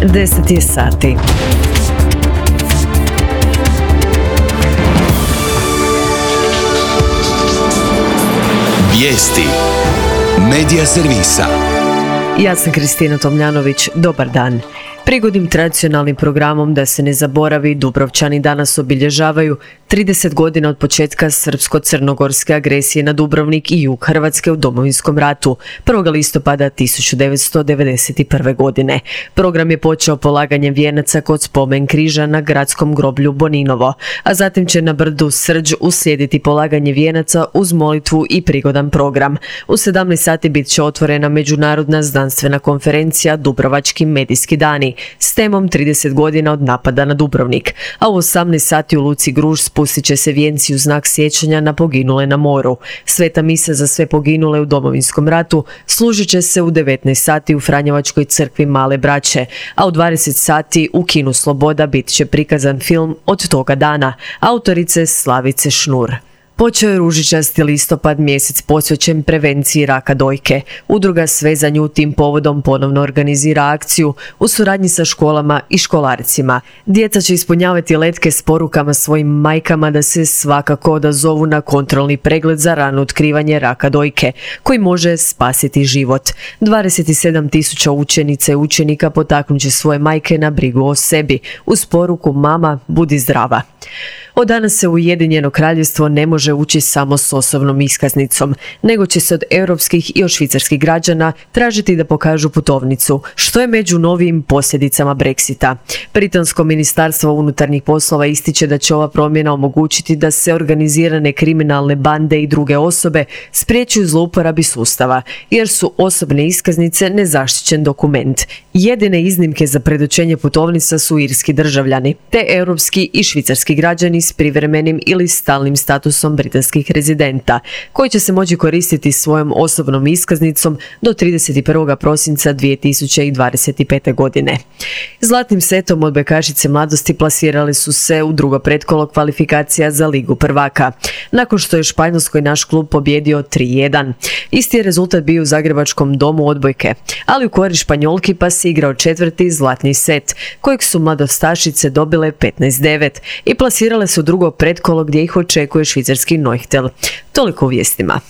10 je sati. Vijesti Medija servisa. Ja sam Kristina Tomljanović, dobar dan. Prigodnim tradicionalnim programom Da se ne zaboravi, Dubrovčani danas obilježavaju 30 godina od početka srpsko-crnogorske agresije na Dubrovnik i jug Hrvatske u Domovinskom ratu, 1. listopada 1991. godine. Program je počeo polaganjem vijenaca kod spomen križa na gradskom groblju Boninovo, a zatim će na brdu Srđ uslijediti polaganje vijenaca uz molitvu i prigodan program. U 17 sati bit će otvorena međunarodna znanstvena konferencija Dubrovački medijski dani s temom 30 godina od napada na Dubrovnik, a u 18 sati u Luci Gruž spustit će se vijenci u znak sjećanja na poginule na moru. Sveta misa za sve poginule u Domovinskom ratu služit će se u 19 sati u Franjevačkoj crkvi Male Braće, a u 20 sati u Kinu Sloboda bit će prikazan film Od toga dana, autorice Slavice Šnur. Počeo je ružičasti listopad, mjesec posvećen prevenciji raka dojke. Udruga Sve za nju tim povodom ponovno organizira akciju u suradnji sa školama i školarcima. Djeca će ispunjavati letke s porukama svojim majkama da se svakako odazovu na kontrolni pregled za rano otkrivanje raka dojke, koji može spasiti život. 27.000 učenica i učenika potaknut će svoje majke na brigu o sebi uz poruku Mama, budi zdrava. Od danas se u Ujedinjeno Kraljevstvo ne može ući samo s osobnom iskaznicom, nego će se od europskih i od švicarskih građana tražiti da pokažu putovnicu, što je među novim posljedicama Brexita. Britansko ministarstvo unutarnjih poslova ističe da će ova promjena omogućiti da se organizirane kriminalne bande i druge osobe spriječuju zlouporabi sustava, jer su osobne iskaznice nezaštićen dokument. Jedine iznimke za predočenje putovnica su irski državljani, te europski i švicarski građani s privremenim ili stalnim statusom britanskih rezidenta, koji će se moći koristiti svojom osobnom iskaznicom do 31. prosinca 2025. godine. Zlatnim setom odbojkašice mladosti plasirali su se u drugo pretkolo kvalifikacija za Ligu prvaka, nakon što je Španjolskoj naš klub pobjedio 3:1. Isti je rezultat bio u Zagrebačkom domu odbojke, ali u korist Španjolki pa se igrao četvrti zlatni set, kojeg su mladostašice dobile 15:9 i plasirale su drugo pretkolo gdje ih očekuje švicarski Neuchtel. Toliko u vijestima.